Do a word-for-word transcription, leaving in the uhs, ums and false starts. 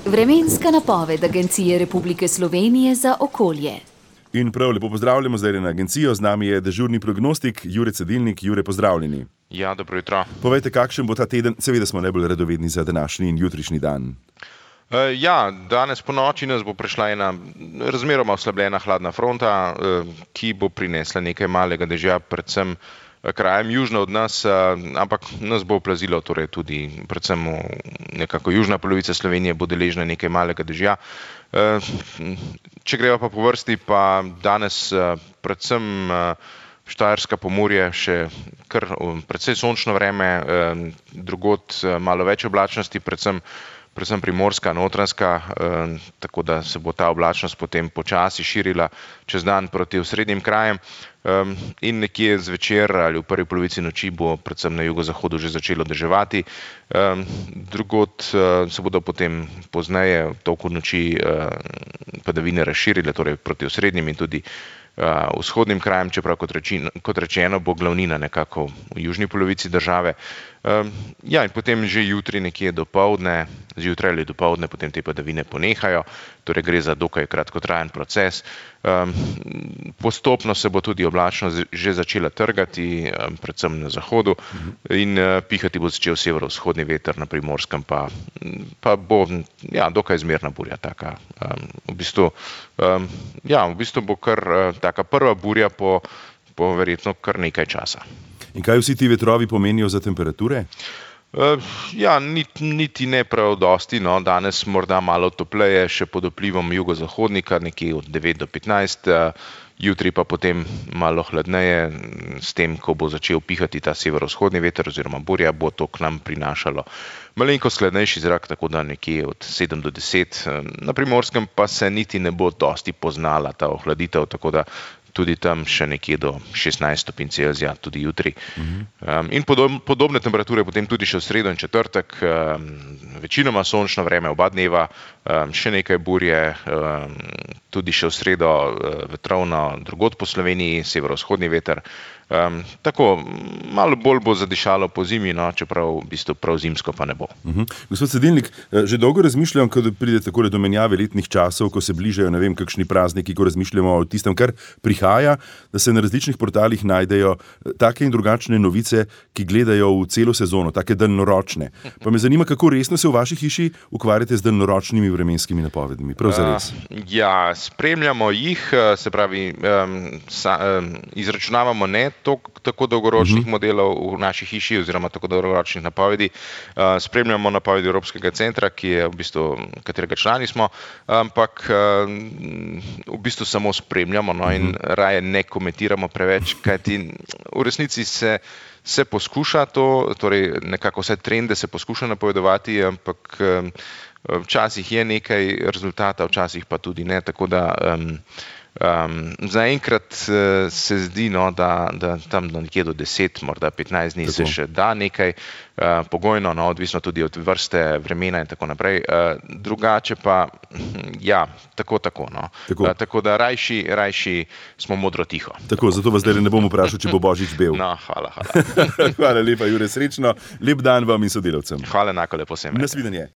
Vremenska napoved Agencije Republike Slovenije za okolje. In prav lepo pozdravljamo zdaj na agencijo, z nami je dežurni prognostik Jure Cedilnik. Jure, pozdravljeni. Ja, dobro jutro. Povejte, kakšen bo ta teden, seveda smo najbolj radovedni za današnji in jutrišnji dan. Uh, ja, danes po noči nas bo prišla ena razmeroma oslabljena hladna fronta, uh, ki bo prinesla nekaj malega dežja, predvsem krajem južno od nas, uh, ampak nas bo oplazilo, torej tudi predvsem nekako južna polovica Slovenije bo deležna nekaj malega dežja. Uh, če greva pa po vrsti, pa danes uh, predvsem uh, Štajerska Pomurje, še kar um, precej sončno vreme, um, drugod uh, malo več oblačnosti, predvsem predvsem primorska, notranjska, eh, tako da se bo ta oblačnost potem počasi širila čez dan proti osrednjim krajem eh, in nekje zvečer ali v prvi polovici noči bo predvsem na jugozahodu že začelo deževati. Eh, drugod eh, se bodo potem pozneje v toku noči eh, padavine razširile, torej proti osrednjim in tudi Uh, vzhodnim krajem, čeprav kot, reči, kot rečeno bo glavnina nekako v južni polovici države. Um, ja, in potem že jutri nekje dopoldne, zjutraj ali dopoldne potem te padavine ponehajo, torej gre za dokaj kratkotrajen proces. Um, postopno se bo tudi oblačnost že začela trgati, um, predvsem na zahodu, in uh, pihati bo začel severovzhodni veter, na Primorskem pa, pa bo ja, dokaj zmerna burja taka. Um, v bistvu, um, ja, v bistvu bo kar uh, taka prva burja po, po verjetno kar nekaj časa. In kaj vsi ti vetrovi pomenijo za temperature? Uh, ja, niti, niti ne prav dosti, no, danes morda malo topleje, še pod vplivom jugozahodnika, nekje od devet do petnajst, uh, jutri pa potem malo hladneje, s tem, ko bo začel pihati ta severovzhodni veter oziroma burja, bo to k nam prinašalo malenkost hladnejši zrak, tako da nekje od sedem do deset. Na Primorskem pa se niti ne bo dosti poznala ta ohladitev, tako da tudi tam še nekje do šestnajst stopinj Celzija, tudi jutri. Um, in podob, podobne temperature potem tudi še v sredo in četrtek, um, večinoma sončno vreme oba dneva, um, še nekaj burje, um, tudi še v sredo uh, vetrovno drugod po Sloveniji, severovzhodni veter. Um, tako, malo bolj bo zadišalo po zimi, no, čeprav v bistvu prav zimsko pa ne bo. Uh-huh. Gospod Cedilnik, že dolgo razmišljam, ko pride takole do menjave letnih časov, ko se bližajo, ne vem, kakšni prazniki, ko razmišljamo o tistem, kar prihaja, da se na različnih portalih najdejo take in drugačne novice, ki gledajo v celo sezono, take daljnoročne. Pa me zanima, kako resno se v vaši hiši ukvarjate z daljnoročnimi vremenskimi napovedmi, prav zares. Uh, ja, spremljamo jih, se pravi, um, sa, um, izračunavamo ne Tok, tako dolgoročnih uh-huh. modelov v naši hiši oziroma tako dolgoročnih napovedi. Uh, spremljamo napovedi Evropskega centra, ki je v bistvu, katerega člani smo, ampak uh, v bistvu samo spremljamo, no, in uh-huh. raje ne komentiramo preveč, kajti v resnici se, se poskuša to, torej nekako vse trende se poskuša napovedovati, ampak um, včasih je nekaj rezultata, včasih pa tudi ne, tako da um, Um, zaenkrat uh, se zdi, no, da, da tam do nekje do deset, morda petnajst dni tako se še da nekaj uh, pogojno, no, odvisno tudi od vrste vremena in tako naprej. Uh, drugače pa, ja, tako, tako, no. Tako, uh, tako da rajši, rajši smo modro tiho. Tako, zato vas zdaj ne bom vprašal, če bo Božič bel. No, hvala, hvala. Hvala lepa, Jure, srečno. Lep dan vam in sodelavcem. Hvala, enako lepo sem. Nasvidenje.